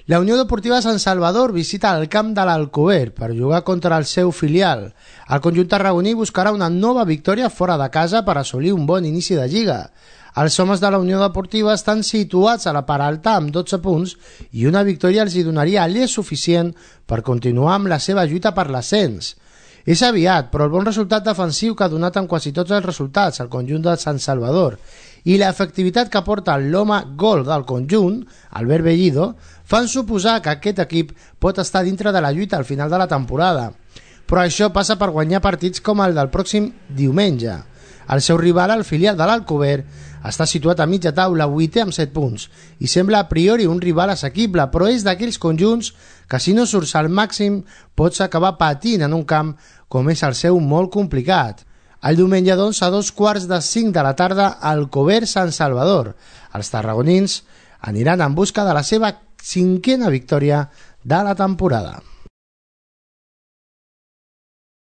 La Unió Deportiva Sant Salvador visita el camp de l'Alcover per jugar contra el seu filial. El conjunt tarragoní buscarà una nova victòria fora de casa per assolir un bon inici de lliga. Els homes de la Unió Deportiva estan situats a la part alta amb 12 punts i una victòria els hi donaria l'és suficient per continuar amb la seva lluita per l'ascens. És aviat, però el bon resultat defensiu que ha donat en quasi tots els resultats al conjunt de Sant Salvador i l'efectivitat que aporta l'home gol del conjunt, Albert Bellido, fan suposar que aquest equip pot estar dintre de la lluita al final de la temporada. Però això passa per guanyar partits com el del pròxim diumenge. El seu rival, el filial de l'Alcover, està situat a mitja taula, 8è amb 7 punts, i sembla a priori un rival assequible, però és d'aquells conjunts que si no surts al màxim pots acabar patint en un camp com és el seu molt complicat. El diumenge, doncs, a 4:45 de la tarda, Alcover Sant Salvador. Els tarragonins aniran en busca de la seva 5è victòria de la temporada.